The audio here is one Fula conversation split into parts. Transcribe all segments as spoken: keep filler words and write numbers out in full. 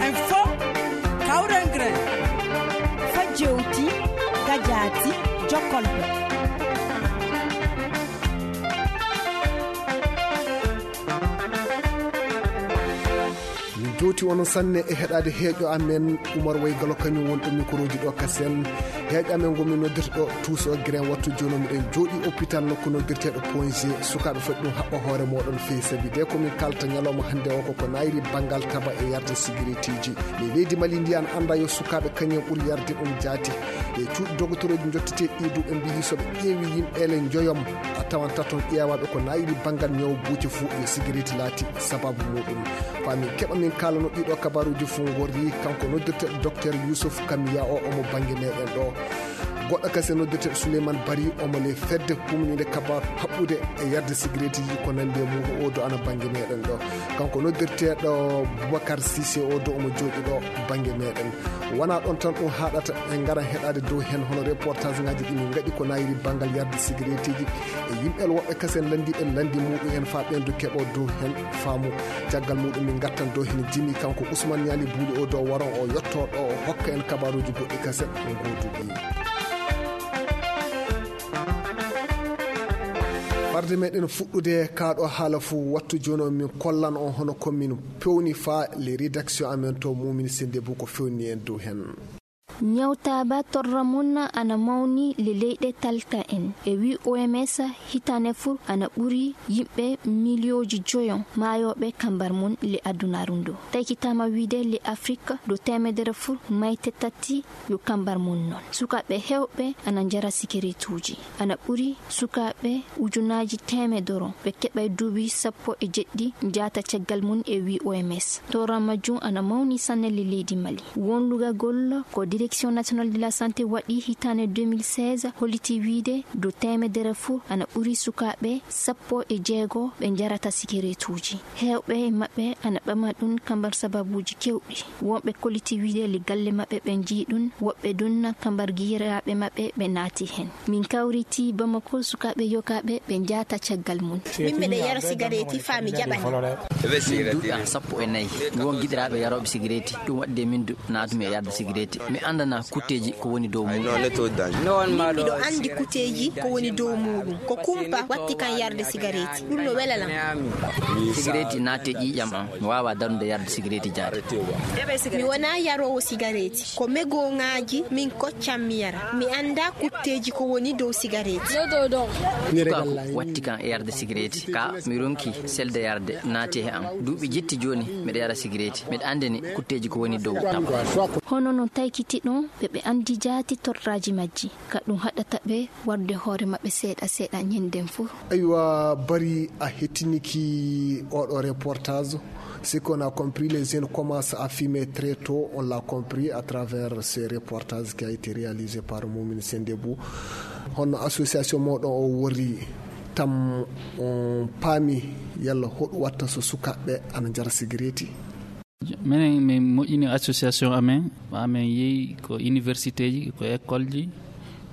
Info, Kawrengre, Fajewti, Gajati, Jokolbe. Min jowti onon sanne e heɗaade heeƴo amen. Umar Waygalo kañum won ɗo microji ɗo kasen. Heeƴo amen ngo min noddirta ɗo tuuso grain wattu jooni miɗen jooɗi hôpital nokku noddirteeɗo point g. Sukaaɓe foti ɗum haɓɓa hoore mooɗon feewi sabi de ko min kalta ñalawma hannde o koko naayri banngal taba e yarde sigaretiji. Ley leydi Mali ndi an annda yo sukaaɓe kañum ɓuri yarde ɗum jaati. E cuuɗi dogotorooji jotteteeɗi ɗi duuɓe mbiyi so ɓe ƴeewi yimɓe ele njoyom a tawan taton ƴeewaaɓe ko naayri banngal ñaw buuce fuu yo sigareeti laati sababu muɗum. Faa min keɓa min kaalano ɗiɗo kabaruuji fuu ngorri kanko noddirteeɗo docteur Youssouf Kamiya o omo bannge meɗen ɗo. Goɗɗo kasi noddirteeɗo Souleymane Bari omo le fedde kumniinde kabaru haɓɓude e yarde sigareetiji ko nanndi e muuɗum o do ana bannge meɗen ɗo. Kanko noddirteeɗo Boubacar Cissé o do omo jooɗi ɗo bannge meɗen. Wonaa ɗoon tan ɗum haaɗata, en ngaran heɗaade dow heen hono reportage ngaji ɗi min ngaɗi ko naayri banngal yarde sigareetiji e yimɓe woɓɓe kasen lanndiiɓe lanndi muɗum en faa ɓeen du keɓo dow heen faamu. Caggal muɗum min ngattan dow heen jimi kanko Ousmane Ñaali Buuli o dow waron o yotto ɗo o hokka en kabaruuji goɗɗi kasen o gooduɗi. Farde meɗen fuɗɗude kaaɗo haala fuu wattu jooni o min kollan on hono ko min pewni faa le rédaction amen to mumin sende bu ko fewni en dow heen. Ñawtaaba torra mun ana mawni le leyɗe talta en e wi O M S hitane fur ana ɓuri yimɓe miliyooji joyon maayooɓe kambar mun le adunaaru ndu. Taykitaama wiide le Afrik ɗo teemedere fur mayte tati yo kambar mun non. Sukaaɓe heewɓe ana njara sigaretuuji. Ana ɓuri sukaaɓe ujunaaji teemedoro ɓe keɓay duuɓi sappo e jeɗɗi njaata caggal mun e wi O M S. Torra majjum ana mawni sanne le leydi Mali. Won lugagol ko Direction Nationale de la Santé waɗi hitaande deux mille seize holliti wiide dow teemedere fuu ana ɓuri sukaaɓe sappo e jeego ɓe njarata sigaretuuji. Heewɓe e maɓɓe ana ɓama ɗum kambar sababuuji keewɗi. Wonɓe kolliti wiide le galle maɓɓe ɓe njii ɗum, woɓɓe ɗum kambar giyiraaɓe maɓɓe ɓe naati heen. Min kawriti Bamako sukaaɓe yogaaɓe ɓe njaata caggal mum. Min miɗa yara sigareeti faa mi jaɓani. Min duuɓi am sappo e nayi. Mi won giɗiraaɓe yarooɓe sigareeti. Ɗum waɗi de min du naatumi e yarde sigareeti. Mi anndanaa kutteeji ko woni dow muuɗum. Min miɗo anndi kutteeji ko woni dow muuɗum. Ko kumpa watti kan yarde sigareeti. Ɗum no wela lan. Sigareeti naati e ƴiiƴam am. Mi waawaa darude yarde sigareeti jaati. Mi wonaa yaroowo sigareeti. Ko megooŋaaji min koccan mi yara. Mi anndaa kutteeji ko woni dow sigareeti. Sukaaku watti kan e yarde sigareeti. Ka mi ronki selde yarde naati e am. Duuɓi jetti jooni miɗa yara sigareeti. Miɗa anndini kutteeji ko woni dow am. Hono no taykiti ɗon ɓe ɓe anndi jaati torraaji majji. Ka ɗum haɗata ɓe warde hoore maɓɓe seeɗa seeɗa ñennden fof. Aywa, Bari a hettiniki oɗo reportage. Ce qu'on a compris, les jeunes commencent à fumer très tôt. On l'a compris à travers ce reportage qui a été réalisé par Momin Sendebou. Hono association moɗon o worri tam on paami yalla hoɗum watta so sukaaɓe ana njara sigareeti? Minen min moƴƴini association amen, amen yehi ko universitéji, ko écoleji,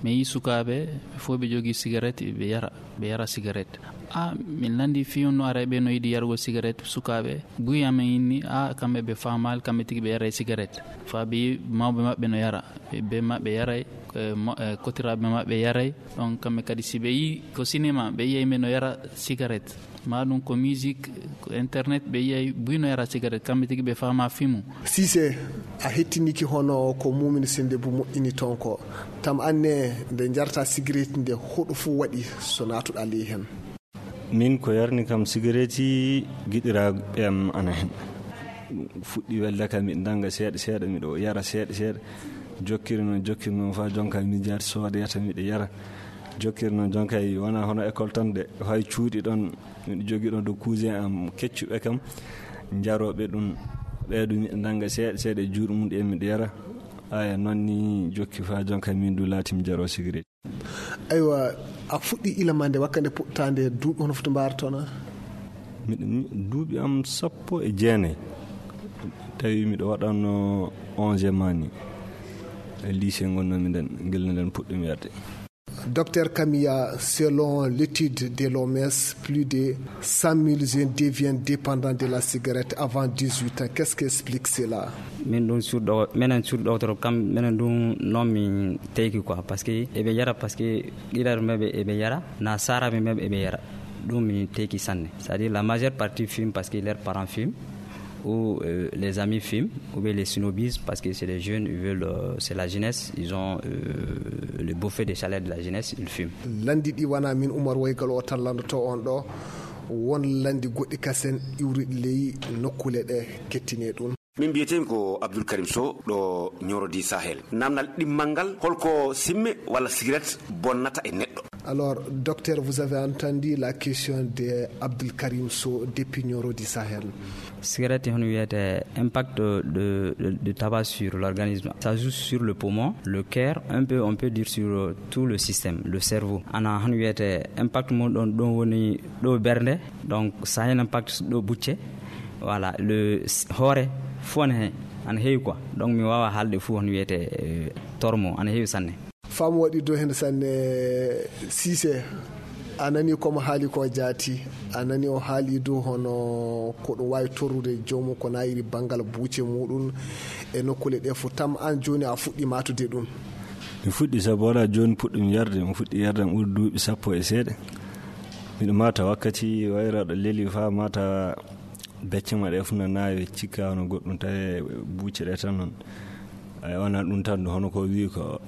min yi sukaaɓe ɓe fof ɓe jogii cigarette, ɓe yara, ɓe yara cigarette. A min lanndi fii on no ara ɓe no yiɗi yarugol cigarette, sukaaɓe buy amen inni a kamɓe ɓe faamaali, kamɓe tigi ɓe yara e cigarette. Faa ɓe yi mawɓe maɓɓe no yara, ɓe, ɓe maɓɓe yaray, e mo-, e kotiraaɓe maɓɓe yaray. Ɗon kamɓe kadi si ɓe yi ko cinéma, ɓe yiyay ɓe no yara cigarette. Maa ɗum ko musique, ko internet, ɓe yiyay buy no yara cigarette, kamɓe tigi ɓe faamaa fimu. Siise, a hettiniki hono ko Mumin Sende bu moƴƴini toon ko. Tam anne nde njarta sigareeti nde hoɗo fof waɗi so naatuɗaa ley heen? Min ko yarni kam sigareeti giɗiraaɓe am ana heen. Fuɗɗi welde kam miɗo nannga seeɗa seeɗa, miɗo yara seeɗa seeɗa. Jokkiri noon, jokkiri noon faa jonka mi jaati soodayata miɗo yara. Jokkiri noon jonka wonaa hono école tan de, fay cuuɗi ɗon. Miɗo jogii ɗon ɗo cousin am keccuɓe kam, jarooɓe ɗum, ɓee ɗum miɗo nannga seeɗa seeɗa e juuɗe mum ɗe miɗo yara. Aya, noon ni jokki faa jonka min du laati mi jaroo sigareeti. Aywa, a fuɗɗi ila ma nde wakka nde puɗɗaande duuɓi hono foti mbaartona? Miɗo, mi-, duuɓi am sappo e jeenayi. Tawi miɗo waɗanno onze mani. Lycée ngonnomi nden, gila nden puɗɗumi yarde. Docteur Camilla, selon l'étude de l'O M S, plus de cent mille jeunes deviennent dépendants de la cigarette avant dix-huit ans. Qu'est-ce qui explique cela? Min ɗum sur ɗo, menen sur ɗo to kam, menen ɗum non min teki quoi, parce que eɓe yara, parce que ɗiɗaɓe maɓɓe eɓe yara, na saraɓe maɓɓe eɓe yara. Ɗum min teki sanne. C'est-à-dire la majeure partie fume parce que leurs parents fument, ou euh, les amis fument, ou bien les snobistes, parce que c'est les jeunes, ils veulent, euh, c'est la jeunesse, ils ont euh, le beau fait de chaleur de la jeunesse, ils fument. Lanndi ɗi wona min Umar Waygal o tan lanndoto on ɗo, won lanndi goɗɗi kasen iwruɗi ley nokkuule ɗe, kettine ɗum. Min mbiyetemi ko Abdoul Karim Sow, ɗo Nioro du Sahel. Namdal ɗimmal ngal, holko simme walla sigaret bonnata e neɗɗo? Alors, docteur, vous avez entendu la question de Abdoul Karim Sow depuis Nioro du Sahel. Cigarette, on wiyete impact de, de, de tabac sur l'organisme. Ça joue sur le poumon, le cœur, un peu, on peut dire sur euh, tout le système, le cerveau. Ana, on wiyete impact mum ɗon, ɗon woni ɗo bernde, donc ça a un impact ɗo bucce. Voilà, le s- hoore fof ne he ana heewi quoi. Donc mi wawa haalde fof, on wiyete euh, tormo ana heewi sanne. Faamu waɗi dow heen sanne. Siise, a nani komo haali ko jaati. A nani o haali dow hono ko ɗum waawi torrude joomum ko nayiri banngal buuce muɗum e nokkuule ɗe fof. Tam aan jooni a fuɗɗi maatude ɗum? Mi fuɗɗi sabu wala jooni puɗɗum yarde. Mi fuɗɗi yarde am ɓuri duuɓi sappo e seeɗa. Miɗo maata wakkati wayra ɗo leli faa maata becce ma ɗe fof na naawe, cikka hono goɗɗum tawi buucce ɗe tan noon. Ay wona ɗum tan hono ko wi ko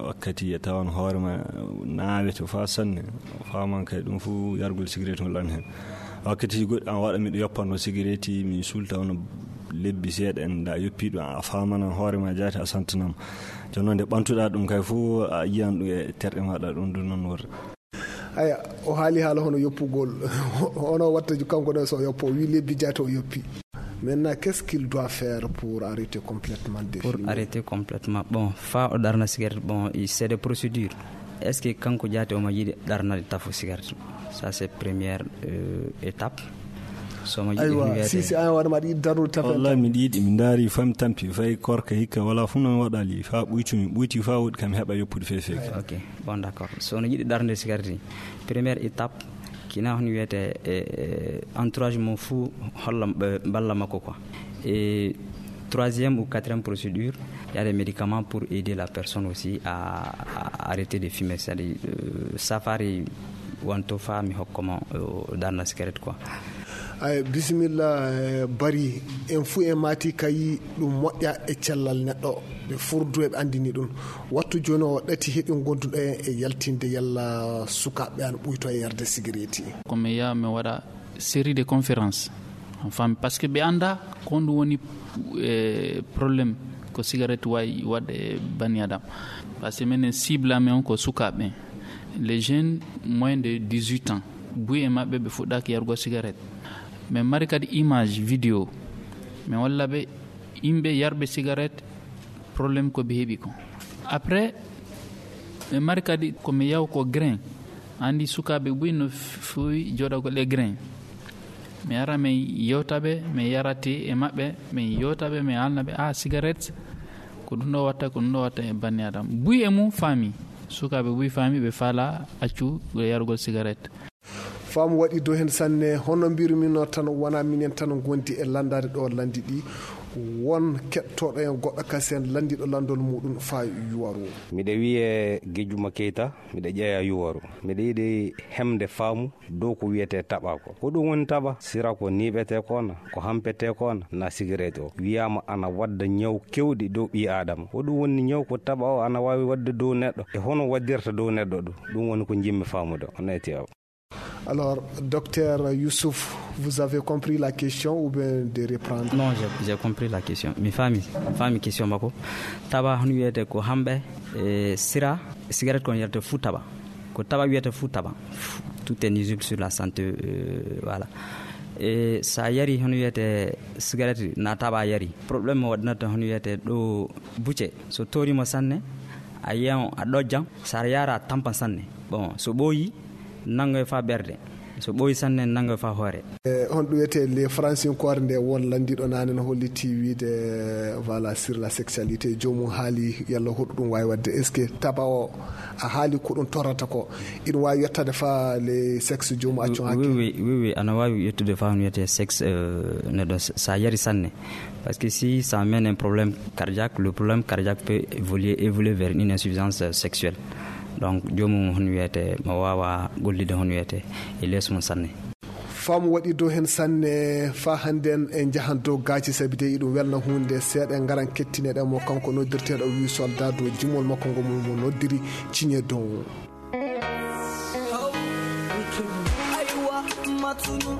wakkati e tawan hoore ma naawe to faa sanne, faaman kay ɗum fof yargol sigaret ngol an heen. Wakkati goɗɗi an waɗa miɗo yoppano sigaret mi sulta hono lebbi seeɗa en da yoppi ɗum a faamana hoore ma jaati a santanama. Jooni noon nde ɓantuɗa ɗum kay fof a yiyan ɗum e terɗe maɗa ɗum ɗum noon worre. Aya, o haali haala hono yoppugol. Hono watta kanko ɗo so o yoppo, o wi lebbi jaati o yoppi. Maintenant, qu'est-ce qu'il doit faire pour arrêter complètement de fumer? Pour arrêter complètement, bon, fa o ɗarna cigarette, bon, c'est des procédures. Est-ce que kanko jaati omo yiɗi ɗarnade tafo cigarette? Ça c'est première euh, étape. Somo yiɗi aywa, si si an waɗa maɗa yiɗi darnude tafo? Wallahi miɗa yiɗi, mi ndaari fami tampi fay korka hikka wala fof noon waɗali fa ɓuytumi ɓuyti fa woɗi kam heɓa yoppude fefe. Ok. Bon, d'accord. So no yiɗi ɗarde cigarette, première étape, kina hono wiyete e entourage mum fuu holla ɓe mballa makko quoi. Et troisième ou quatrième procédure, il y a des médicaments pour aider la personne aussi à, à arrêter de fumer, c'est-à-dire euh, safari wanto fa mi hokkoma euh, darna cigarette quoi. Ay bisimilla. Bari en fuu en maati kayi ɗum moƴƴa e cellal neɗɗo. Ɓe furdu eɓe anndini ɗum. Wattu jooni o ɗati heɓi gonduɗo en e yaltinde yalla sukaaɓe an ɓuyto e yarde sigareeti. Ko mi yaha mi waɗa série de conférence, fami, parce que ɓe annda ko honɗum woni e problème ko cigarette wawi waɗde e banni adam. Parce que minen cible amen on ko sukaaɓe ɓen, les jeunes moins de dix-huit ans. Buy e maɓɓe ɓe fuɗɗaki yargo cigarette. Min mari kadi image vidéo, min walla ɓe yimɓe yarɓe cigarette, problème ko ɓe heɓi ko. Après min mari kadi ko mi yaw ko grain. Andi sukaaɓe buy no fuwi joɗagol e grain. Mi ara min yewta ɓe, min yarate e maɓɓe, min yewta ɓe, min haalna ɓe a cigarette ko ɗum ɗo watta, ko ɗum ɗo watta e banni adam. Buy e mum faami. Sukaaɓe buy faami, ɓe faala accu yarugol cigarette. Faamu waɗi dow heen sanne. Hono mbirumi no tan wona minen tan ngondi e lanndaade ɗo lanndi ɗi. Won keɗtooɗo en goɗɗo kasen lanndiiɗo lanndol muɗum faa yuwaru. Miɗo wiyee Gejjuma Keyta, miɗo ƴeeya yuwaru. Miɗo yiɗi hemde faamu dow ko wiyetee taɓa ko. Ko ɗum woni taɓa? Sira ko niiɓetee ko na, ko hampetee ko na, na sigaret o. Wiyaama ana wadda ñaw kewɗi dow ɓii aadama. Ko ɗum woni ñaw ko taɓa o ana waawi wadde dow neɗɗo? E hono waddirta dow neɗɗo ɗum? Ɗum woni ko njimmi faamude o. Nayti o. Alors, docteur Youssouf, vous avez compris la question ou bien de reprendre? Non, j'ai compris la question. Mi faami, mi faami question makko. Taɓa hono wiyete ko hamɓe e sira, cigarette kon yarate fuu taɓa. Ko taɓa wiyata fuu taɓa. Tout est nuisible sur la santé, euh, voilà. E sa yari hono wiyete cigarette na taɓa yari. Problème mo waɗanata hono wiyete ɗo bucce. So torima sanne, a yiyan a ɗojjan, sa yara tampan sanne. Bon, so ɓooyi, nangoy fa ɓerde. So ɓooyi sanne, nannga faa hoore. E honɗum wiyetee le francinkoore nde won lanndiiɗo naane no holliti wiide, voilà, sur la sexualité, joomum haali yalla hoɗum ɗum waawi waɗde. Est-ce que taba o a haali ko ɗum torrata ko? Ina waawi yettade faa le sexe joomum accu hakke? Oui, oui, oui, oui, ana waawi yettude faa no wiyetee sexe, euh, neɗɗo s- sa yari sanne. Parce que si ça mène un problème cardiaque, le problème cardiaque peut évoluer, évoluer vers une insuffisance sexuelle. Donc joomum hon wiyetee mo waawa gollide hon wiyetee e lees mum sanne. Faamu waɗi dow heen sanne, faa hannden en njahan dow gaaci, sabi de iɗum welna huunde. Seeɗa en ngaran kettineɗen mo, kanko noddirteeɗo wii soldat dow jimol makko ngo mo mo noddiri ciñe dow. Aywa, matunu,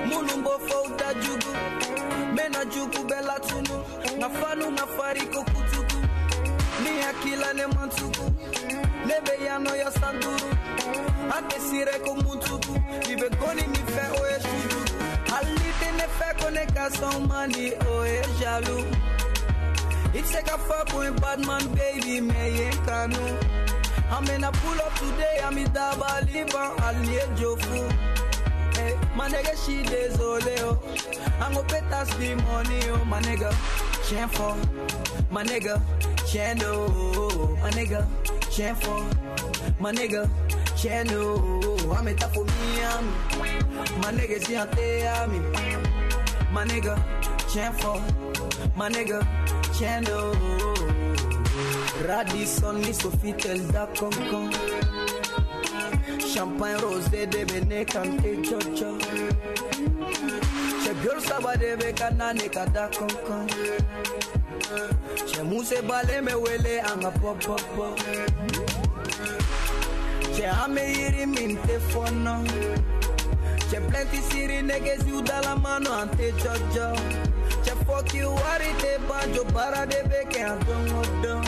munu mbo fow dajugu, mena jugu bela tunu, nga fanu nga fari ko kutuku, ni akila ne mantuku. Lebe yano ya sanduru. Ake sire ko muntuku. Ibe koni mi fe o e shujuku. Halite ne fe kone ka son mani o e jaloux. It's like a fuck with bad man, baby, me yen kanu. I'm in a pull up today, I'm in Daba Liban, Allié Jofu. Hey, my nigga, she désolé, oh. Ango pétasse di money, oh, my nigga, chien fort. My nigga, chien do, my nigga, chien fort. My nigga, chien do, I'm a tough for me, I'm. My nigga, si ante ami. My nigga, chien fort. My nigga, chien do. Radisson, ni Sofitel da concon. Champagne rosé de bene kante chocho. Che biol saba de be kanane kada concon. Che muse bale me wele anga pop pop pop. Che ame iri minte fono. Che plenty siri niggas you dala mano ante jojo. Che fuck you wari te banjo bara de beke antongo don.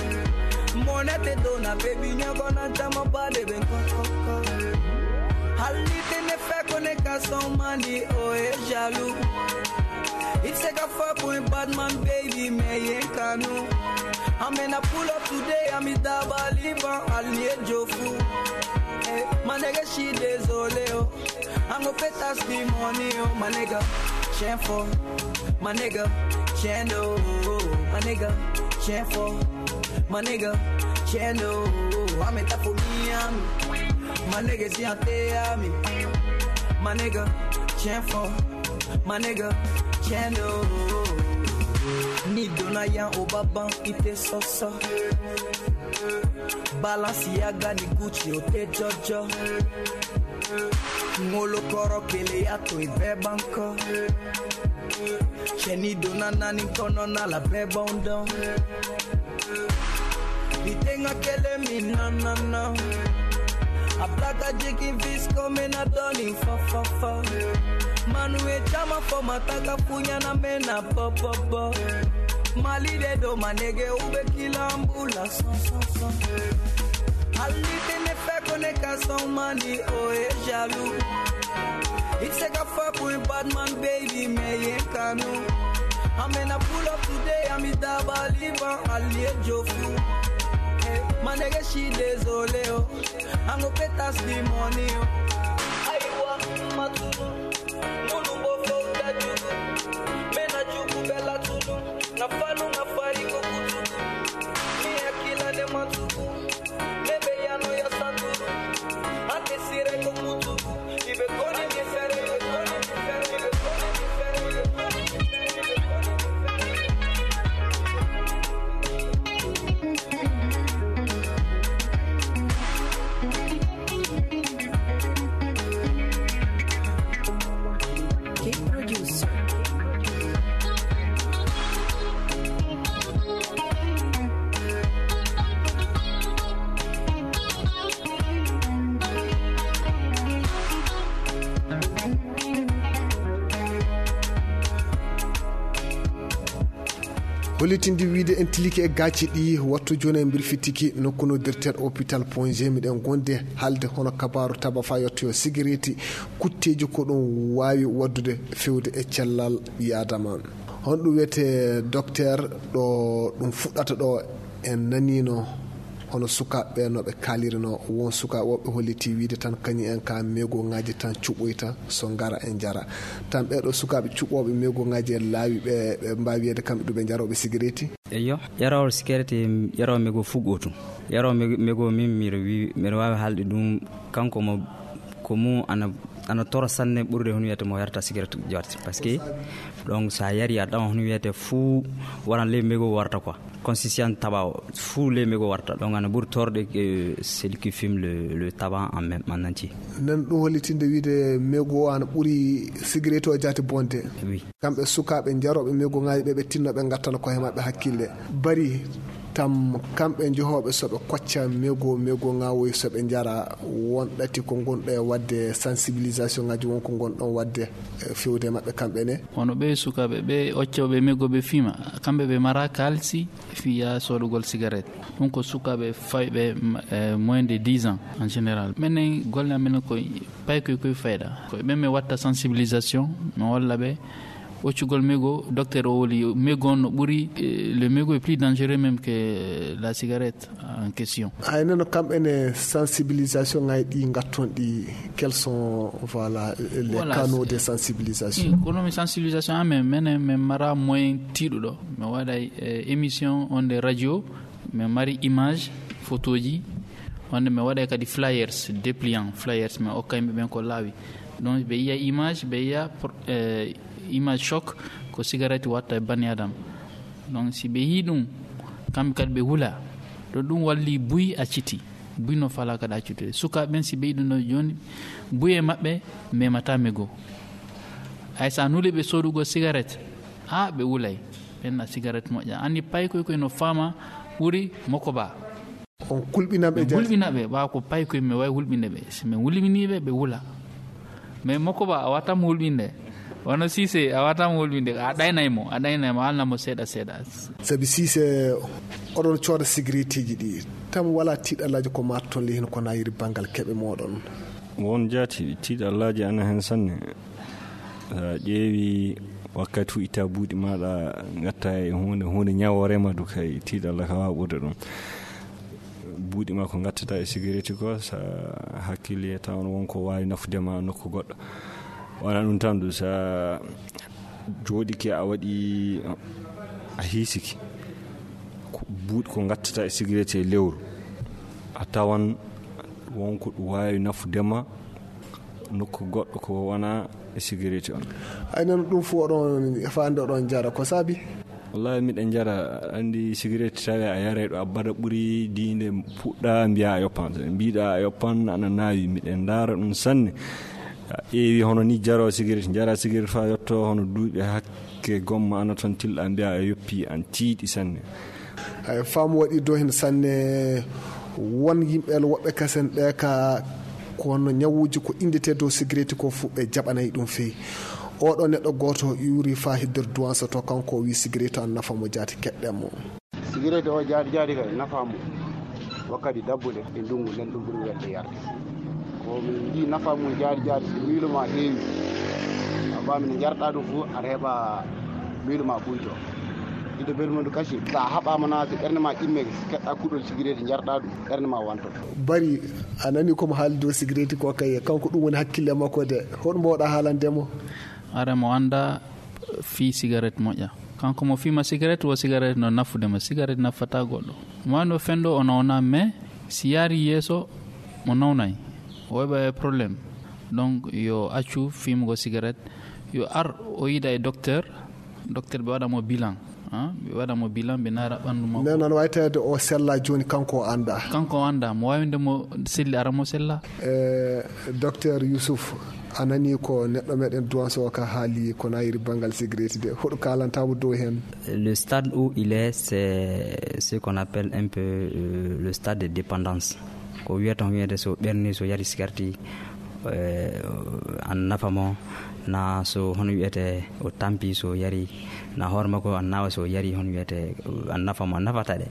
Monete dona baby nyogo na jama bade ben kokoko. Halite ne fe kone ka son mani o e jaloux. It's like a fuck with bad man, baby, me yen kanu. I'm in a pull up today, I'm in Daba Liban, Allié Jofu. Hey, my nigga, she désolé, oh. I'm gonna pay tax the money, oh, my nigga. Chien fort, my nigga, chien do, my nigga, chien fort, my nigga, chien do. I'm a tough for me, I'm. My nigga, si ante ami. My nigga, chien fort. My nigga, chendo. Ni dona yan o baban ite soso. Balance ya gani Gucci o te jojo. Ngolo koro kele ya to ibe banko. Cheni dona nani kono na la bebondon. Itenga kele mi na na na. A plata jikin vis come na doni fa fa fa. Manu e chama fo mataka funya na me na po po po. Mali de do manege ube kila ambula so so so. Alite ne fe kone ka son mani o e jaloux. It's like a fuck with bad man, baby, me yen kanu. I'm in a pull up today, I'm in Daba Liban, Allié Jofu. Hey, my nigga, she désolé, oh. I'm gonna pay tax the money, oh. Aiwa, matunu, munu bo fo da jugu. Mena jugu bela tunu. Na fanu, na fari ko kutuku. Mi akila ne matuku. Lebe yano ya sanduru. Ate sire ko kutuku. Ibe koni mi fere, ibe koni mi fere, ibe koni mi fere, ibe koni mi fere, ibe koni mi fere. Producer. Hollitinde wiide en tilike e gaaci ɗi, wattu jooni en mbirfitiki nokku noddirteeɗo hôpital Point G. Miɗen ngondi haalde hono kabaaru taba faa yottoyoo sigareeti, kutteeji ko ɗum waawi waɗdude feewde e cellal ɓii aadama. Honɗum wiyetee docteur ɗo ɗum fuɗɗata ɗo? En naniino Hono sukaaɓe ɓe no ɓe kaalirino, won sukaaɓe woɓɓe holliti wiide tan kañum en ka megoŋaaji tan cuɓoyta so ngara e njara. Tan ɓee ɗoo sukaaɓe cuɓooɓe megoŋaaji e laawi ɓe, ɓe mbaawi wiyeede kamɓe ɗum ɓe njarooɓe sigareeti? Eyyo, ƴaroowo sigareeti, ƴaroowo mego fuu gootum. Ƴaroowo mego, mego min miɗo wi-, miɗo waawi haalde ɗum, kanko mo, ko mum ana, ana toro sanne ɓurde hono wiyete mo yarta sigaret joarte. Parce que, donc, so a yari a ɗawa hono wiyete fuu waran ley mego warta quoi. Consistance tabac o, fuu ley mego warta. Donc, ana ɓuri torde que celui qui fume le, le tabac en même, en entier. Nan ɗum hollitinde wiide mego o ana ɓuri sigaret o jaati bonde. Oui. Kamɓe sukaaɓe njarooɓe megoŋaaji ɓe, ɓe tinno ɓe ngattana koye maɓɓe hakkille. Bari tam kamɓe johooɓe so ɓe kocca mego, megoŋaawoy so ɓe njara, won ɗati ko ngonɗo e waɗde sensibilisation ŋaaji, won ko ngonɗon waɗde, eh, fewde e maɓɓe kamɓe ne. Hono ɓe sukaaɓe ɓe occooɓe mego ɓe fiima, kamɓe ɓe mara kaalisi fiya soodugol sigaret. Ɗum ko sukaaɓe fayɓe, m-, eh, moins de dix ans en général. Menen golle amen ko paykoy koye fayda. Ko ɓe mi watta sensibilisation, mi walla ɓe occugol mego, docteur o woli mego on no ɓuri, eh, le mego est plus dangereux même que la cigarette en question. Hay noon kamɓe ne sensibilisation ŋaaji ɗi ngatton ɗi, quels sont, voilà, les Voilà, canaux c'est de sensibilisation? Kono mi sensibilisation amen, menen, min mara moyen tiiɗuɗo. Mi waɗay, eh, émission on de radio, min mari image, photoji, wonde min waɗay kadi flyers, dépliant flyers, min okka yimɓe ɓen ko laawi. Donc ɓe yiya image, ɓe yiya pro-, eh, image choc, ko cigarette watta e bani adam. Donc si ɓe yii ɗum, kamɓe kadi ɓe wula. Ɗo ɗum walli buy acciti. Buy no fala kadi accude. Sukaaɓe ɓen si ɓe yii ɗum ɗo jooni, buy e maɓɓe memata mego. Hay sa nuli ɓe soodugol cigarette, ha ɓe wulay. Ɓen na cigarette moƴƴa. Anni paykoy koy no fama ɓuri mokoba. On kulɓinanɓe Min jaati? Hulɓina ɓe, ɓaawo ko payi koye mi wawi hulɓinde ɓe. Si min hulɓinii ɓe, ɓe wula. Mais Mokoba, a wata mo hulɓinde. Wano Sise, a wata mo hulɓinde. A ɗaynay mo, a ɗaynay mo, a alna mo seeɗa seeɗa. Sabi Sise, oɗon cooda sigaretiji ɗi. Tam wala tiiɗalaaji ko maatoton ley hino ko nayiri banngal keɓe mooɗon? Won jaati, tiiɗalaaji ana hen sanne. Sa ƴeewi wakkati fu itta buuɗi maɗa, gatta e hunde, hunde ñawoore ma du kay, tiiɗalla ka wawa ɓurde ɗum. Buuɗi ma ko gattata e sigareti ko, sa hakkille taw on won ko wawi nafude ma nokku goɗɗo. Wona ɗum tan du, sa jooɗike a waɗi, a hiisiki, ko buuɗi ko gattata e sigareti e lewru, a tawan won ko ɗum wawi nafude ma nokku goɗɗo ko wona e sigareti on. Ay, noon ɗum fof oɗon faande oɗon njara, ko saabi? Wallahi miɗen njara, anndi sigareti tawi a yaray ɗo abbada ɓuri diinde puɗɗa mbiya a yoppan. Mbiɗa a yoppan ana naawi, miɗen ndaara ɗum sanne. A ƴeewi hono ni jaro sigareti, njara sigareti fa yotto hono duuɓi hakke gomma ana toon tilla mbiya a yoppi, an tiiɗi sanne. Ay, faamu waɗi do heen sanne. Won yimɓe woɓɓe kasen ɓe ka ko honno ñawuuji ko inndetee dow sigareeti ko fof ɓe jaɓanay ɗum feyi. Oɗo neɗɗo gooto ƴuuri faa hedder duwansa to kanko o wii sigareeti an nafa mo jaati keɗɗen mo. Sigareeti o jaati jaati kay nafa mo wakkati dabbule e ndungu nden ɗum ɓuri welde yarde. Ko min njii nafa mum jaati jaati si miilu ma heewi a faami no njarɗa ɗum fof aɗa heɓa miilu ma ɓuyto. Ɗiɗo bermundu kasi, sa haɓaama na, si ɓernde ma ƴimmeke, si keɗɗa kuɗol sigareeti, njarɗa ɗum, ɓernde ma wanto. Bari, a nani ko mo haali dow sigareeti ko kay, kanko ɗum woni hakkille makko de. Hoɗum mboɗa haalande mo? Are mo annda fii sigaret moƴƴa. Kanko mo fiima sigaret, wo sigaret no nafude mo. Sigaret nafata goɗɗo. Mo wano fendo o nawna, mais si yaari yeeso, mo nawnay. O heɓa e problème. Donc, yo accu fiimugo sigaret. Yo ar o yiida e docteur, docteur ɓe waɗa mo bilan, ah, ɓe waɗa mo bilan, ɓe naara ɓanndu makko. Nden noon wawi tawede o sella jooni, kanko o annda. Kanko o annda, mo wawi winde mo selli, ara mo sella. Eh, docteur Youssouf, a nani ko neɗɗo meɗen duwanso o ka haali ko nayiri banngal sigareeti de, hoɗo kalanta mo dow heen? Le stade où il est, c'est ce qu'on appelle un peu, euh, le stade de dépendance. Ko wiyata, ko wiyata so ɓerni, so yari sigarti, eh, an nafa mo, na so hono wiyete o tampi so yari, na hoore makko an nawa so yari hono wiyete an nafa mo, an nafata de.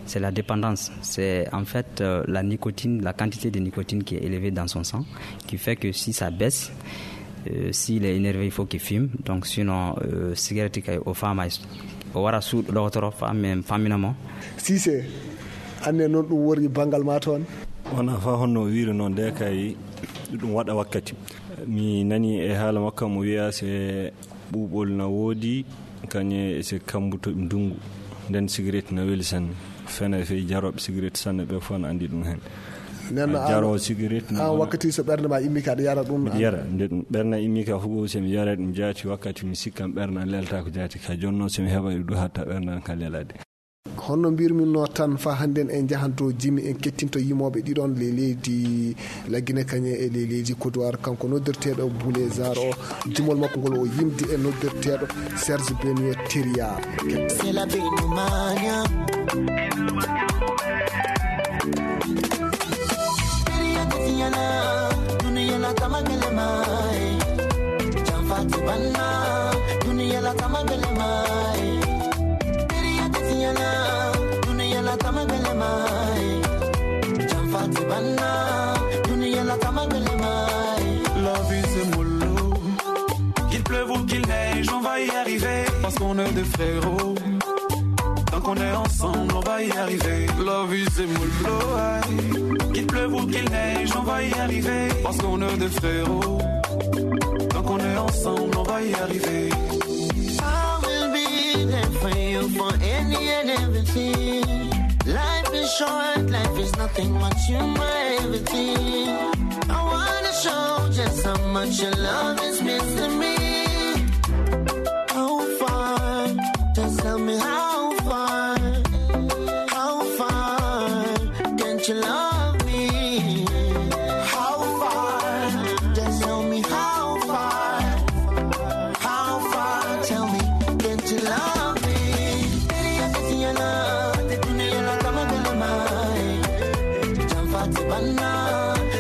C'est la dépendance. C'est en fait, euh, la nicotine, la quantité de nicotine qui est élevée dans son sang, qui fait que si ça baisse, euh, s'il est énervé, il faut qu'il fume. Donc sinon, euh, cigarette kay o faamay, o wara suuɗo ɗowtoro, fam-, famina mo. Si c'est Anne noon ɗum worri banngal ma toon? Wonaa faa honno o wiiri noon, nde kay ɗum waɗa wakkati. Mi nani e haala makko mo wiya se ɓuuɓol na woodi, kañe se kambuto ndunngu. Nden sigaret na weli sanne. Fena fey jarooɓe sigaret sanne ɓe fof na anndi ɗum heen. Nen a jaroo sigaret na an wakkati so ɓernde ma immi ka aɗa yara ɗum? Mbiɗa yara. Nde ɗum ɓernde immi ka fof, se mi yara ɗum jaati wakkati mi sikkan ɓernde an lelta ko jaati ka. Jooni noon se mi heɓa ɗum hatta ɓernde an ka lelade. Honno mbirmi no tan fa hannden en njahan to jimi en kettinto yimooɓe ɗiɗon le leydi Lagine kañe e le leydi Kodowar, kanko noddirteeɗo Boulezar o, jimol makko ngol o yimdi e noddirteeɗo Serge Benoît Teria. C'est la Benumania. Teria de Tiana, dunia la tama gele mai. Jamfati banna, dunia la tama gele mai. Teria de Tiana, dunia la tama gele mai. Jamfati banna, dunia la tama gele mai. La vie c'est mollo. Qu'il pleuve ou qu'il neige, on va y arriver, parce qu'on est des frérots. Tant qu'on est ensemble, on va y arriver. La vie c'est mollo, aïe. Qu'il pleuve ou qu'il neige, on va y arriver, parce qu'on est des frérots. Tant qu'on est ensemble, on va y arriver. I will be there for you for any and everything. Life is short, life is nothing but you my everything. I wanna show just how much your love is means to me. How far? Just tell me how far. How far? Can't you love me? How far? Just tell me how far. How far? Tell me, can't you love me? Teria de Tiana, dunia la tama gele mai. Jamfati banna,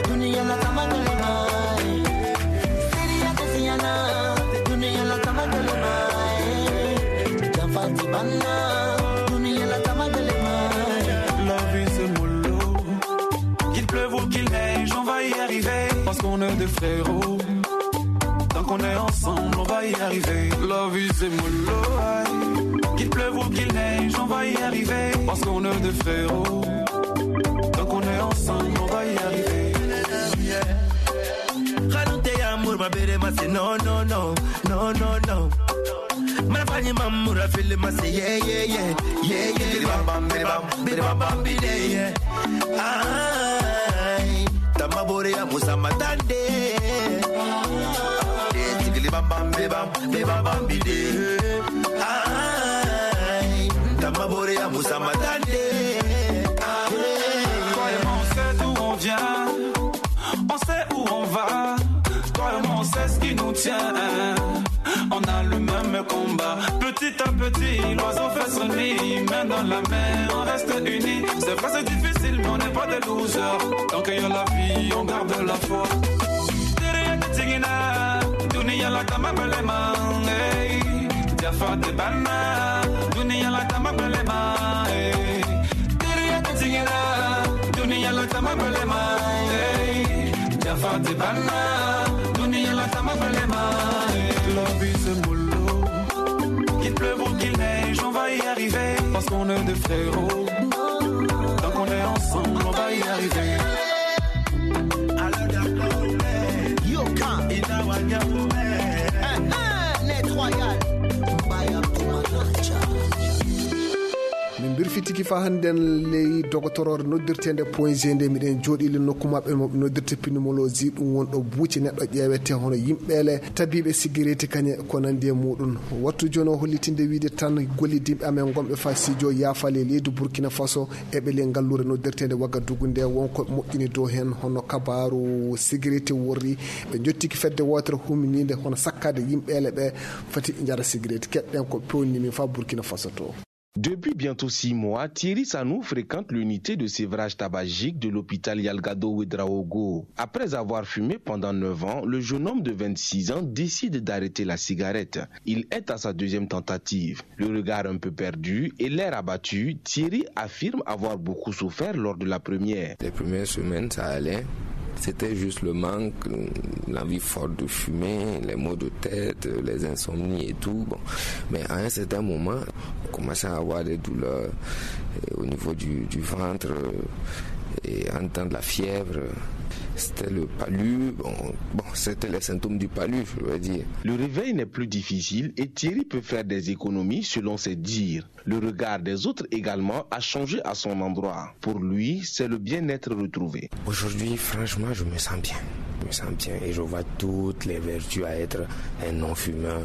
dunia la tama gele mai. Teria de Tiana, dunia la tama gele mai. Jamfati banna, dunia la tama gele mai. La vie c'est mollo. Qu'il pleuve ou qu'il neige, on va y arriver, parce qu'on est des frérots. Tant qu'on est ensemble, on va y arriver. La vie c'est mollo, aïe. Qu'il pleuve ou qu'il neige, on va y arriver, parce qu'on est des frérots. Tant qu'on est ensemble, on va y arriver. Kanute ya murma bere masi, no, no, no, no, no, no. Mana fanyi mamura fili masi, yeah, yeah, yeah, yeah, yeah. Bidi bam bam, bidi bam, bidi bam bam, bidi, yeah. Ay, tama bore ya musa matande. Eh, tigili bam bam, bidi bam, bidi bam bam, bidi. Ay, tama bore ya musa matande. Toi et moi, on sait d'où on vient. On sait où on va, toi et moi on sait ce qui nous tient. On a le même combat. Petit à petit, l'oiseau fait son nid. Main dans la main, on reste unis. C'est vrai, c'est difficile, mais on n'est pas des losers. Tant qu'il y a la vie, on garde la foi. Tere tigina, dunia la tama belema, hey. Jafate bana, dunia la tama belema, hey. Tere tigina, dunia la tama belema, hey. Jafate bana, dunia la tama belema, hey. La vie c'est mollo. Qu'il pleuve ou qu'il neige, on va y arriver, parce qu'on est des frérots. Tant qu'on est ensemble, on va y arriver. Alors d'accord, Yoka. Inawanya. Eh, eh, Net Royal. Mbaya Kumanacha. Min mbirfitiki fa hannden ley dogotoroore noddirteende Point G nde miɗen jooɗii le nokku maɓɓe mo ɓe noddirta pneumologie, ɗum woni ɗo buuci neɗɗo ƴeewete hono yimɓeele tabiiɓe sigareeti kañe ko nanndi e muɗum. Wattu jooni o hollitinde wiide tan gollidinɓe amen gonɓe fa sijo yaafaali e leydi Burkina Faso e ɓe ley ngalluure noddirteende Wagadugu nde won ko moƴƴini dow heen hono kabaaru sigareeti worri. Ɓe njottiki fedde wootere huminiinde hono sakkaade yimɓeele ɓe foti njara sigareeti. Keɗɗen ko pewnini min fa Burkina Faso to. Depuis bientôt six mois, Thierry Sanou fréquente l'unité de sévrage tabagique de l'hôpital Yalgado Ouedraogo. Après avoir fumé pendant neuf ans, le jeune homme de vingt-six ans décide d'arrêter la cigarette. Il est à sa deuxième tentative. Le regard un peu perdu et l'air abattu, Thierry affirme avoir beaucoup souffert lors de la première. Les premières semaines, ça allait. C'était juste le manque, l'envie forte de fumer, les maux de tête, les insomnies et tout. Bon. Mais à un certain moment, on commençait à avoir des douleurs euh, au niveau du, du ventre euh, et en temps de la fièvre. C'était le palu. Bon, bon, c'était les symptômes du palu, je veux dire. Le réveil n'est plus difficile et Thierry peut faire des économies selon ses dires. Le regard des autres également a changé à son endroit. Pour lui, c'est le bien-être retrouvé. Aujourd'hui, franchement, je me sens bien. Je me sens bien et je vois toutes les vertus à être un non-fumeur.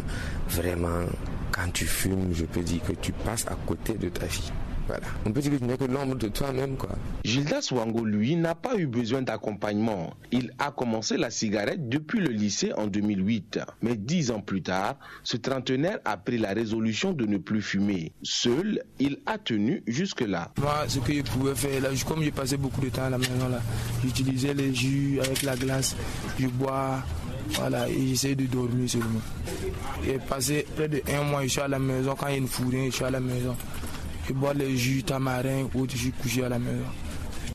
Vraiment, quand tu fumes, je peux dire que tu passes à côté de ta vie. Voilà. On peut dire que tu n'es que l'ombre de toi-même, quoi. Gildas Wango, lui, n'a pas eu besoin d'accompagnement. Il a commencé la cigarette depuis le lycée en deux mille huit. Mais dix ans plus tard, ce trentenaire a pris la résolution de ne plus fumer. Seul, il a tenu jusque-là. Moi, ce que je pouvais faire là, comme je passais beaucoup de temps à la maison là, j'utilisais les jus avec la glace, je bois, voilà, et j'essaie de dormir seulement. J'ai passé près de un mois, je suis à la maison. Quand il ne fout rien, je suis à la maison. Je bois les jus tamarin ou je suis couché à la maison.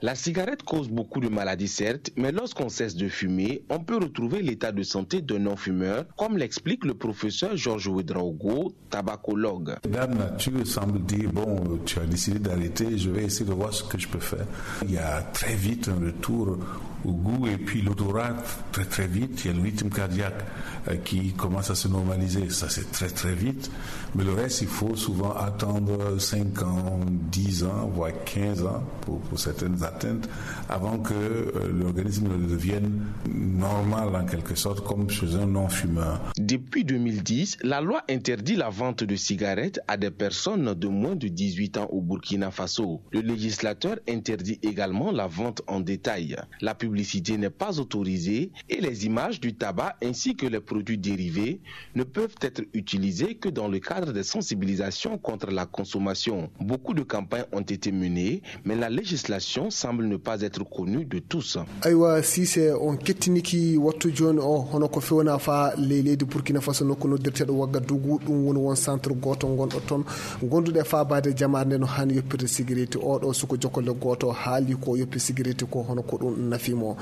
La cigarette cause beaucoup de maladies, certes, mais lorsqu'on cesse de fumer, on peut retrouver l'état de santé d'un non-fumeur, comme l'explique le professeur Georges Ouedraogo, tabacologue. La nature semble dire, bon, tu as décidé d'arrêter, je vais essayer de voir ce que je peux faire. Il y a très vite un retour au goût et puis l'odorat, très très vite, il y a le rythme cardiaque euh, qui commence à se normaliser. Ça, c'est très très vite. Mais le reste, il faut souvent attendre cinq ans, dix ans, voire quinze ans pour, pour certaines atteintes, avant que euh, l'organisme devienne normal en quelque sorte, comme chez un non-fumeur. Depuis deux mille dix, la loi interdit la vente de cigarettes à des personnes de moins de dix-huit ans au Burkina Faso. Le législateur interdit également la vente en détail. La publicité n'est pas autorisée et les images du tabac ainsi que les produits dérivés ne peuvent être utilisés que dans le cadre des sensibilisations contre la consommation. Beaucoup de campagnes ont été menées, mais la législation semble ne pas être connue de tous. Aywa, Sise, on kettiniki wattu jooni o, hono ko fewna fa ley leydi Burkina Faso, nokku noddirteeɗo Wagadugu. Ɗum woni won centre gooto ngonɗo toon, gonduɗo e faabaade jamaare nde no haani yoppirde sigireti. Oɗo suko jokolle gooto haali ko yoppi sigireti ko, hono ko ɗum nafi mo.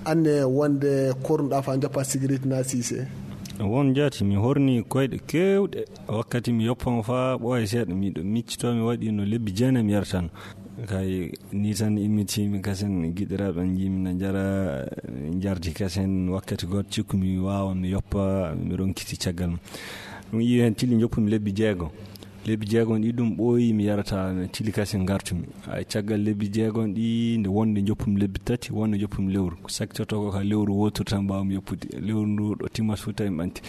Anne wonde kornuɗa fa joppa sigireti na, Sise? Won jaati, mi horni koyɗe keewɗe. Wakkati mi yoppama faa ɓooya seeɗa, miɗo miccitoo, mi waɗi no lebbi jeenayi mi yaratano. Kay, ni tan immitimi kasen, giɗiraaɓe am njiimi na njara, njardi kasen. Wakkati gooto cikku mi waawa mi yoppa, mi ronkiti caggal mum. Ɗum iwi heen tili joppumi lebbi jeego. Lebbi jeegom ɗi ɗum ɓooyi mi yarata, mi tili kasen ngartumi. Ay, caggal lebbi jeegom ɗi, nde wonde joppumi lebbi tati, wonde joppumi lewru. Ko sakkitoto ko ka lewru wootoru tan mbaawmi yoppude. Lewru ndu ɗo timmata fof tawi mi ɓanti.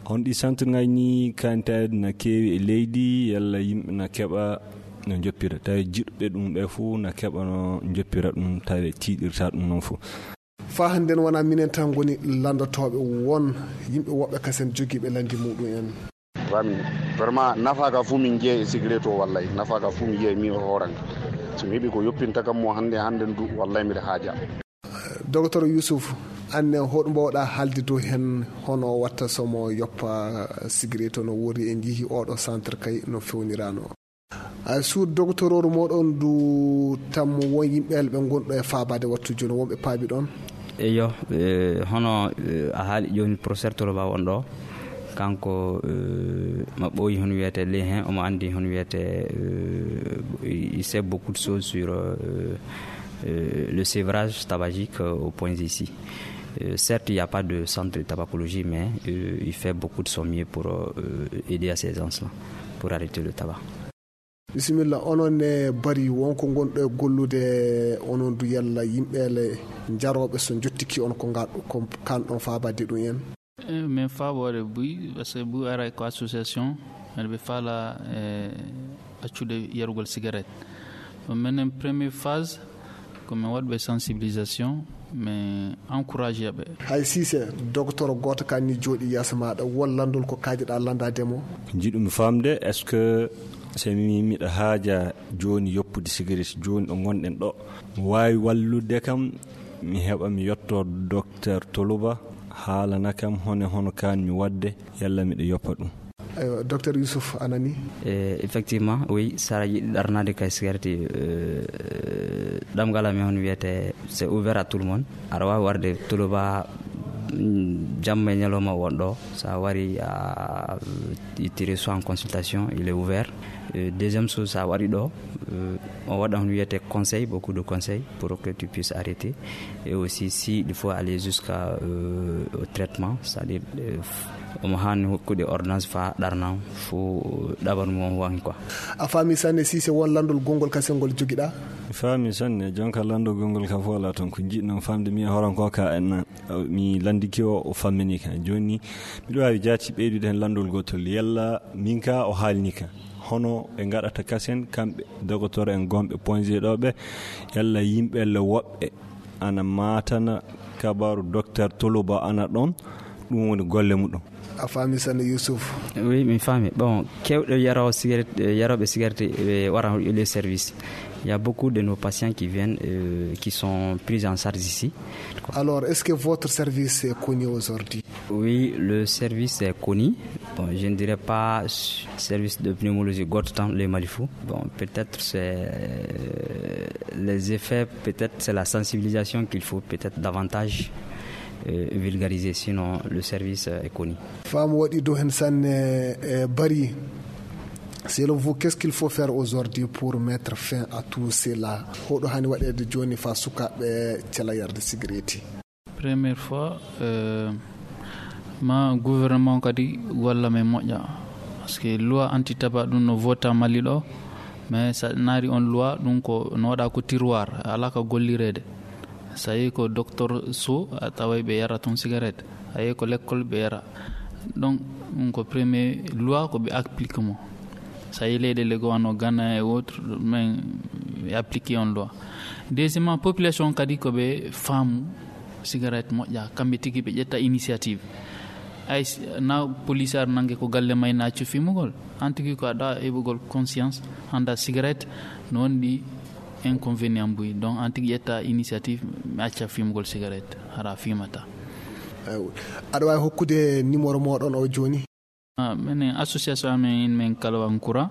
Honɗi centre ngaji ni, kantaaɗi na keewi e leydi, yalla yimɓe na keɓa no njoppira. Tawi jiɗɓe ɗum ɓe fof na keɓa no njoppira ɗum, tawi tiiɗirta ɗum noon fof. Faa hannden wonaa minen tan ngoni lanndotooɓe, won yimɓe woɓɓe kasen jogiiɓe lanndi muɗum en. Wa min, vraiment, nafa ka fuu min njeyi e sigaret o, wallay. Nafa ka fuu mi njeyi mi o hooran. So mi heɓi ko yoppinta kam mo hannde, hannde ndu, wallay miɗa haaja. Docteur Youssouf, anne hoɗum mbaawɗa haalde dow heen, hono watta so mo yoppa sigaret o, no woori en njii oɗo centre kay no fewnirano? Ay, suudu docteur oru moɗon ndu tammo won yimɓe elɓe ngonɗo e faabaade wattu jooni, wonɓe paabi ɗon? Eyo, eh, hono eh, a haali jooni professeur Toloba won ɗo, kanko eh, ma ɓooyi hono wiyete lehen, omo anndi hono wiyete eh, il sait beaucoup de choses sur eh, eh, le sévrage tabagique eh, au point ici. Euh, certes, il n'y a pas de centre de tabacologie, mais euh, il fait beaucoup de son mieux pour euh, aider à ces gens-là, pour arrêter le tabac. Bisimilla, onon ne bari wonko ngonɗo e gollude, onon du yalla yimɓeele jarooɓe so njottiki on ko ngal ko kanɗon faabade ɗum en? Eh, min faaboore buy, parce que buy ara ko association, aɗa ɓe faala eh, accude yarugol cigarette. Ɗum menen première phase, ko min waɗɓe sensibilisation, min encourage ɓe. Hay Sise, docteur gooto kan ni jooɗi yeeso maaɗa, won lanndol ko kaajiɗaa lanndaade mo? Ko njiɗumi faamde, est-ce que so mi miɗo haaja jooni yoppude sigaret jooni ɗo ngonɗen ɗo, mi waawi wallude kam, mi heɓa mi yetto docteur Toluba, haalana kam hone hono kaan mi waɗde, yalla miɗo yoppa ɗum? Docteur Youssouf, a nanii? Eh, effectivement, oui, so a yiɗi ɗarnaade kay sigareti, eh, ɗamngal amen on wiyete, c'est ouvert à tout le monde. Aɗa waawi warde Toloba, mm, jamma e ñalawma won ɗo. So a wari, a ittiri soit en consultation, il est ouvert. Eh, deuxième chose, so a wari ɗo, eh, on waɗa on wiyete conseil, beaucoup de conseils pour que tu puisses arrêter. Et aussi, si il faut aller jusqu'à, euh, au traitement, c'est-à-dire, euh, omo haani hokkude ordonnance faa ɗarnam fo ɗaɓan mum won quoi. A faami sanne, si se won lanndol gonngol kasel ngol jogiɗaa? Mi faami sanne, jonka lanndol gonngol ka fof alaa toon. Ko njiɗnoo faamde mi e horan ko ka en, mi lanndiki o, o fammini ka. Jooni, miɗo waawi jaati ɓeydude heen lanndol gootol. Yalla min ka o haalni ka. Hono ɓe ngaɗata kasen kamɓe, dogotor en gonɓe point G ɗo ɓe, yalla yimɓe le woɓɓe ana maatana kabaru docteur Toloba ana ɗon, ɗum woni golle muɗum. A faami sanne, Youssouf? Oui, mi faami. Bon, kewɗo yaro cigarette, eh, yaroɓe cigarette, eh, wara e les services. Il y a beaucoup de nos patients qui viennent, euh, qui sont pris en charge ici. Alors, est-ce que votre service est connu aujourd'hui? Oui, le service est connu. Bon, je ne dirais pas service de pneumologie goto tan le Malifou. Bon, peut-être c'est, euh, les effets, peut-être c'est la sensibilisation qu'il faut peut-être davantage, euh, vulgariser. Sinon, le service, euh, est connu. Faamu waɗi dow heen sanne, eh, Bari. Selon vous, qu'est-ce qu'il faut faire aujourd'hui pour mettre fin à tout cela? Hoɗo haani waɗeede jooni faa sukaaɓe cela yarde sigareeti? Première fois, euh, ma gouvernement kadi walla men moƴƴa. Parce que loi anti tabac ɗum no vota Mali ɗo, mais sa naari on loi ɗum ko no waɗa ko tiroir, alaa ka gollireede. So a yehi ko docteur so, a taway ɓe yara toon cigarette. A yehi ko l'école ɓe yara. Donc, ɗum ko premier loi ko ɓe applique mo. So a yehi leyɗeele goo wano Ghana et autres, men ɓe applique on loi. Deuxièmement, population kadi ko ɓe faamu cigarette moƴƴa, kamɓe tigi ɓe ƴetta initiative. Ay s-, na police ar nange ko galle may na accu fimugol. An tigi ko aɗa heɓugol conscience, hannda cigarette no wondi inconvénient mbuy. Donc, an tigi ƴetta initiative, mi acca fimugol cigarette, hara fimata. Ew. Aɗa waawi hokkude numéro mooɗon o jooni? Ah, menen association amen, min Kalaban Kura,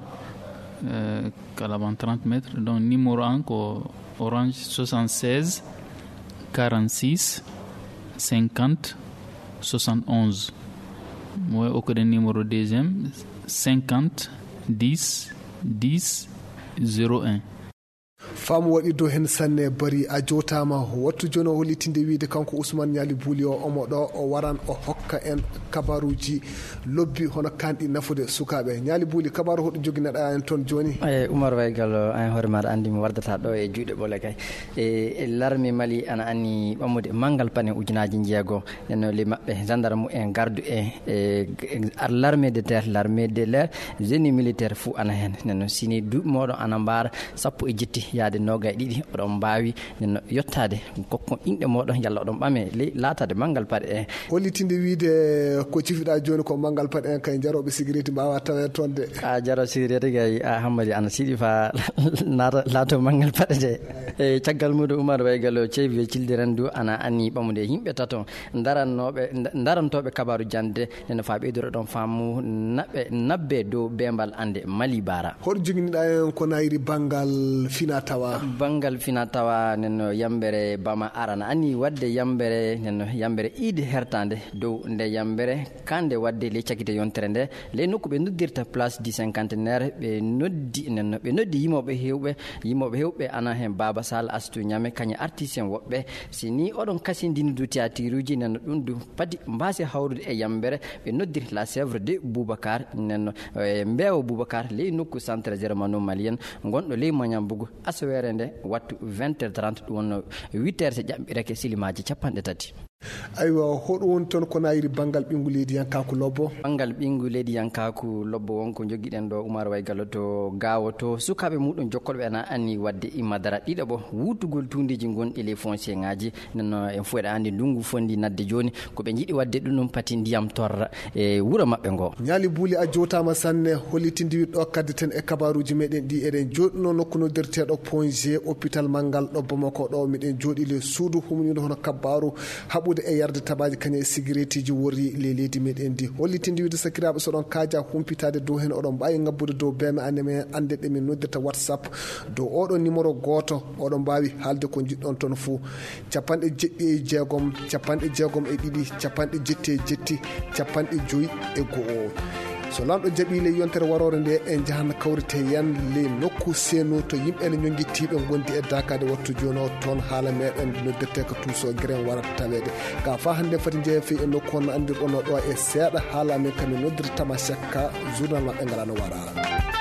euh, Kalaban trente mètres. Donc, numéro an ko Orange soixante-seize quarante-six cinquante soixante-onze. Mo okkude numéro deuxième, cinquante dix dix zéro un. Faamu waɗi dow heen sanne, Bari, a jootaama. Wattu jooni o hollitinde wiyde kanko Ousmane Ñaali Buuli o, omo ɗo, o waran o hokka en kabaruuji lobbi hono kanɗi nafude sukaaɓe. Ñaali Buuli, kabaaru hoɗo joginaɗaa en toon jooni? Eyi, Umar Waygal, an hoore maaɗa anndi mi wardata ɗo e juuɗe ɓole kay. E, e larme Mali ana anni ɓammude manngal paɗe ujunaaji njeego. Nden noon, le maɓɓe, gendarme en, gardu en, e, e, ar-, l'armée de terre, l'armée de l'air, génie militaire fuu ana heen. Nden noon, sini duuɓi mooɗon ana mbaara sappo e jetti yaade noogay e ɗiɗi, oɗon mbaawi, nden noon, yottaade, kokkon inɗe mooɗon, yalla oɗon ɓame ley laataade manngal paɗe en. Hollitinde wiyde ko cifiɗaa jooni ko manngal paɗe en, kay jarooɓe sigareeti mbaawaa taweede toon de. A jarooɓe sigareeti kay, a Hammadi ana siɗi faa naata, laato manngal paɗe de. E caggal muuɗum, Umar Waygal o ceebi e cildiran du ana anni ɓamude yimɓe tato. Darannooɓe, nda-, darantooɓe kabaaru jannde, nden no faa ɓeydoro ɗon faamu naɓe, nabbe dow beembal annde Mali Baara. Hoɗo joginiɗaa en ko naayiri banngal fina tawa? Banngal fina tawa, nden no yambere Bama Arana ani waɗde yambere, nden no yambere iidi hertaande dow nde yambere kande waɗde ley cakite yontere nde, ley nokku ɓe noddirta Place du Cinquantenaire, ɓe noddi, nden no ɓe noddi yimooɓe heewɓe, yimooɓe heewɓe ana heen Baaba Sall, Astu Ñame, kañe artiste en woɓɓe. Si ni oɗon kasindini du théâtre uji, nden no ɗum du padi mbaasi hawrude e yambere, ɓe noddiri La Sèvre de Boubacar, nden no, e, Mbeewa Boubacar, ley nokku Centre Germano-Malien, ngonɗo ley Mañambugu, asaweere nde, wattu vingt heures trente, ɗum wonno huit heures, so ƴaɓɓireke silimaaji capanɗe tati. Aywa, hoɗum woni toon ko naayiri banngal ɓinngu leydi yankaaku lobbo? Banngal ɓinngu leydi yankaaku lobbo won ko njogiɗen ɗo, Umar Waygal, to Gaawo, to sukaaɓe muɗum jokkolɓe ana anni waɗde imadara ɗiɗaɓo wuutugol tuundeeji gonɗi ley foncier ŋaaji. Nden no en fof eɗen anndi ndunngu fonndi nadde jooni, ko ɓe njiɗi waɗde ɗum, ɗum pati ndiyam torra e wuro maɓɓe ngo. Ñaali Buuli, a jootaama sanne, hollitinde wiyde ɗo kaddeten e kabaaruuji meɗen ɗi, eɗen jooɗino nokku noddirteeɗo Point G, hôpital manngal ɗo Bamako ɗo, miɗen jooɗi le suudu humniiɗo hono kabaaru haɓu E yarde tabaaji kañe e sigireetiji worri ley leydi meɗen ndi. Hollitinde wiide sakiraaɓe, so ɗon kaaja humpitaade dow heen, oɗon mbaawi ngabbude dow beeme amen, annde ɗe min noddirta WhatsApp dow oɗo numéro gooto. Oɗon mbaawi haalde ko njiɗɗon toon fuu. Capanɗe jeɗɗi e jeegom, capanɗe jeegom e ɗiɗi, capanɗe jetti e jetti, capanɗe joyi e go'o. So Laamɗo jaɓii, ley yontere waroore nde, en njahan kawrite yen ley nokku seenu to yimɓe ene ñonngitiiɓe ngondi e daakaade wattu jooni o. Toon haala meɗen noddirtee ko Tuuso Giren wara taweede. Ka faa hannde foti njeeya fii e nokku on no anndirɗon no ɗo e seeɗa haala men kamin noddirta ma sekka journal maɓɓe ngala no wara.